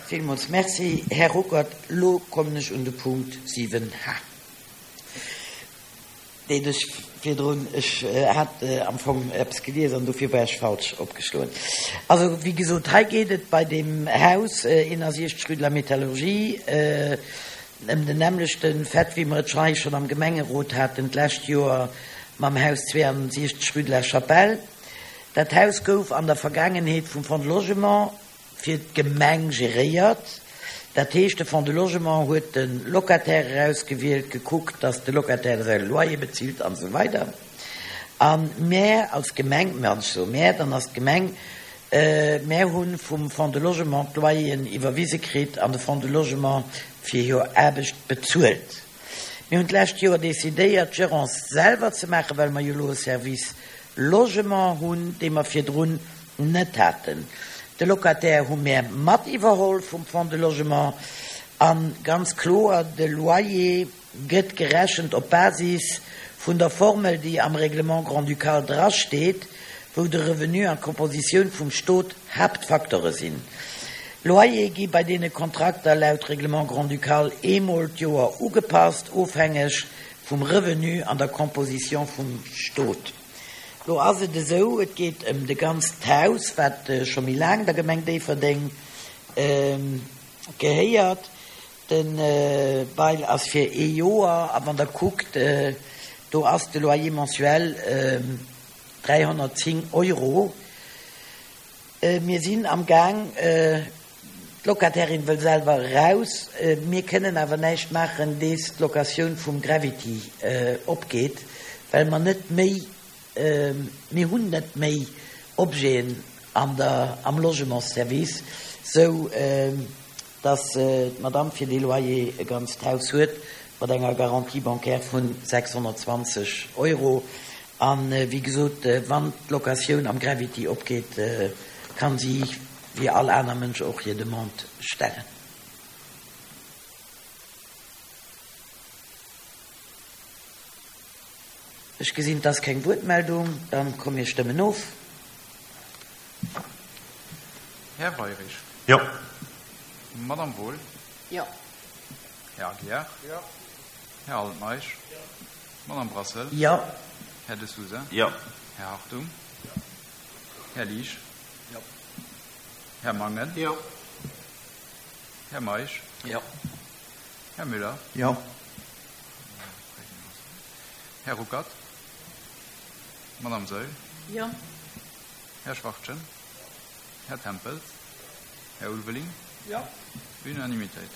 Villmools Merci, Här Ruckert. Elo kommen ech un de Punkt 7 H, deen ech virdrun, ech hat am Fong eppes gelies an dofir war ech falsch opgeschloen. Also, wéi gesot, hei geet et bei deem Haus 61 rue de la Métallurgie ëm den nämmlechte Fait, wéi mer et hei schonn am Gemengerot haten d'lescht Joer mam Haus 62 rue de la Chapelle. Dat Haus gouf an der Vergaangenheet vum Fonds de Logement fir d'Gemeng geréiert. Dat heescht, de Fonds de Logement huet de Locataire erausgewielt, gekuckt, datt de Locataire säi Loyer bezilt an esou weider. A mär als Gemeng, wann ech soe mär, dann ass d'Gemeng, mär hu vum Fonds de Logement d'Loyeren iwwerwise kritt an de Fonds de Logement fir hir Aarbecht bezuelt. Mir hunn d'lescht Joer decidéiert, d'Gerance selwer ze maachen, well mer jo elo e Service Logement hunn, dee mer virdrun net haten. De Locataire hu mär mat iwwerholl vum Fonds de Logement. A ganz kloer, de Loyer gëtt gerechent op Basis vun der Formel, déi am Règlement grand-ducal drasteet, wou de Revenu an d'Kompositioun vum Stot Haaptfacteure sinn. Loyere gi bei deene Kontrakter laut Règlement grand-ducal eemol d'Joer ugepasst, ofhängeg vum Revenu an der Composition vum Stot. Lo ass et esou, et geet ëm de ganzt Haus, wat scho méi laang der Gemeng Déifferdeng gehéiert. De Bail ass fir ee Joer a wann Der kuckt, do ass de Loyer mensuel 310 Euro. Mir sinn am Gaang, d'Locatairin wëll selwer eraus, mir kënnen awer näischt maachen, dees d'Locatioun vum Gravity opgeet, well mer net méi, mir hunn net méi Objeten an der, am Logementsservice, sou dass d'Madame fir dee Loyer e ganzt Haus huet mat enger Garantie bancaire vu 620 Euro. A wéi gesot, wann d'Locatioun am Gravity opgeet, ka si wéi all aner Mënsch och hir Demande stellen. Ech gesinn, et ass keng Wuertmeldung. Dann komm mir stëmmen of. Här Weirich. Jo. Madame Wohl. Jo. Här Aguiar. Jo. Här Altmeisch. Jo. Madame Brassel. Jo. Här De Sousa. Jo. Här Hartung. Jo. Här Liesch. Jo. Här Mangen. Jo. Här Meisch. Jo. Här Müller. Jo. Här Ruckert. Madame Saeul. Jo. Här Schwachtgen. Här Tempels. Här Ulveling. Jo. Unanimitéit.